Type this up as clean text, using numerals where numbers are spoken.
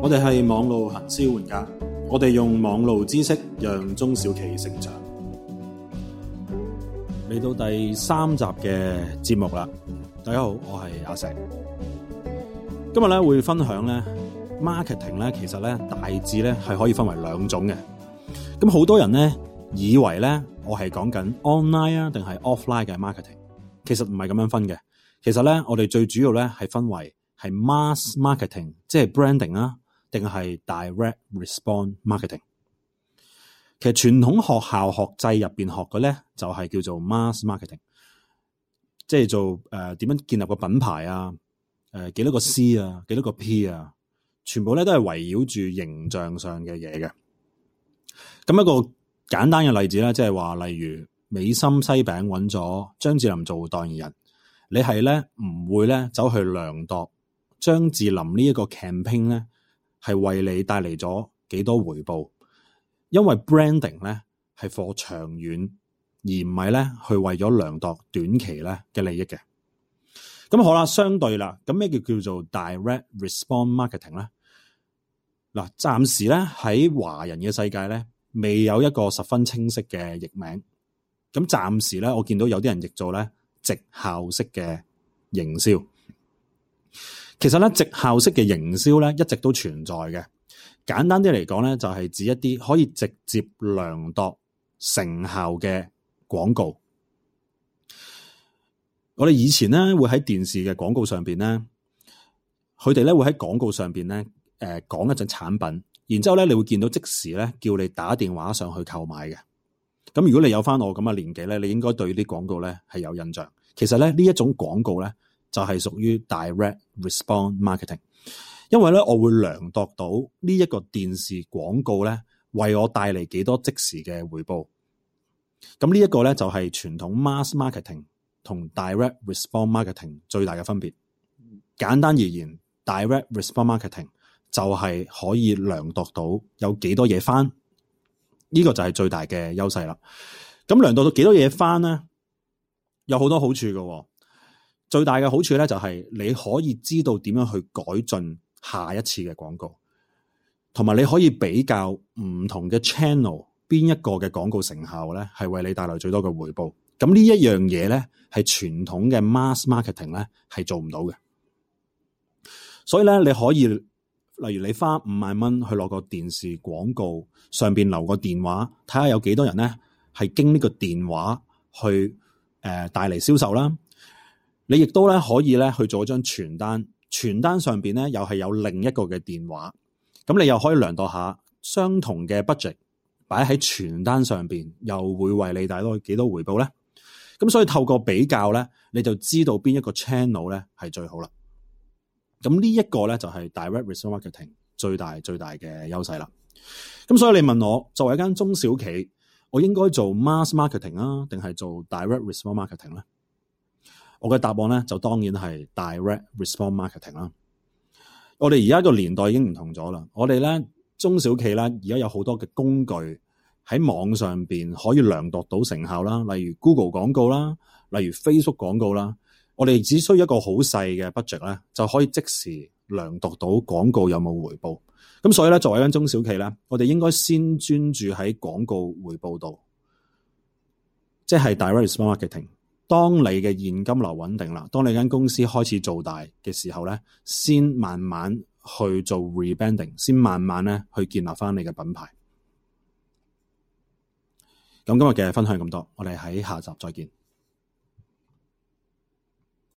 我哋係網路行銷玩家，我哋用網路知識讓中小企成長。嚟到第3集嘅節目啦，大家好，我係阿石。今日咧會分享咧 marketing 咧，其實咧大致咧係可以分為2種嘅。咁好多人咧以為咧我係講緊 online 啊定係 offline 嘅 marketing， 其實唔係咁樣分嘅。其實咧我哋最主要咧係分為係 mass marketing， 即係 branding 啊，定係 direct response marketing。其實傳統學校學制入邊學嘅咧就係叫做 mass marketing， 即係做點樣建立個品牌啊，幾多個 C 啊，幾多個 P 啊，全部咧都係圍繞住形象上嘅嘢嘅。咁一個簡單嘅例子咧，即係話例如美心西餅揾咗張智霖做代言人，你係咧唔會咧走去量度張智霖呢一個 campaign 咧係為你帶嚟咗幾多回報，因為 branding 咧係 for 長遠，而唔係咧去為咗量度短期咧嘅利益嘅。咁好啦，相對啦，咁咩叫做 direct response marketing 咧？嗱，暫時咧喺華人嘅世界咧未有一個十分清晰嘅譯名。咁暫時咧我見到有啲人譯做咧績效式嘅營銷。其實咧績效式嘅營銷咧一直都存在嘅。簡單啲嚟講咧就係指一啲可以直接量度成效嘅廣告。我哋以前咧會喺電視嘅廣告上邊咧，佢哋咧會喺廣告上邊咧講一隻產品，然之後咧你會見到即時咧叫你打電話上去購買嘅。咁如果你有翻我咁嘅年紀咧，你應該對啲廣告咧係有印象。其實咧呢一種廣告咧就係屬於 direct response marketing， 因為咧我會量度到呢一個電視廣告咧為我帶嚟幾多即時嘅回報。咁呢一個咧就係傳統 mass marketing同 direct response marketing 最大嘅分別。簡單而言 direct response marketing 就係可以量度到有幾多嘢翻，呢個就係最大嘅優勢啦。咁量度到幾多嘢翻咧，有好多好處嘅。最大嘅好處咧就係你可以知道點樣去改進下一次嘅廣告，同埋你可以比較唔同嘅 channel 邊一個嘅廣告成效咧係為你帶來最多嘅回報。咁呢一樣嘢咧係傳統嘅 mass marketing 咧係做唔到嘅。所以咧你可以例如你花5萬蚊去攞個電視廣告上邊留個電話，睇下有幾多人咧係經呢個電話去帶嚟銷售啦。你亦都咧可以咧去做一張傳單，傳單上邊咧又係有另一個嘅電話，咁你又可以量度下相同嘅 budget 擺喺傳單上邊，又會為你帶來幾多回報咧？咁所以透過比較咧，你就知道邊一個 channel 咧係最好啦。咁呢一個咧就係 direct response marketing 最大嘅優勢啦。咁所以你問我作為一間中小企，我應該做 mass marketing 啊，定係做 direct response marketing 咧？我嘅答案咧就當然係 direct response marketing 啦。我哋而家個年代已經唔同咗啦。我哋咧中小企啦，而家有好多嘅工具喺網上邊可以量度到成效啦，例如 Google 廣告啦，例如 Facebook 廣告啦。我哋只需要一個好細嘅 budget 咧，就可以即時量度到廣告有冇回報。咁所以咧，作為一間中小企咧，我哋應該先專注喺廣告回報度，即係 direct response marketing。當你嘅現金流穩定啦，當你間公司開始做大嘅時候咧，先慢慢去做 rebranding， 先慢慢咧去建立翻你嘅品牌。咁今日嘅分享咁多，我哋喺下集再見。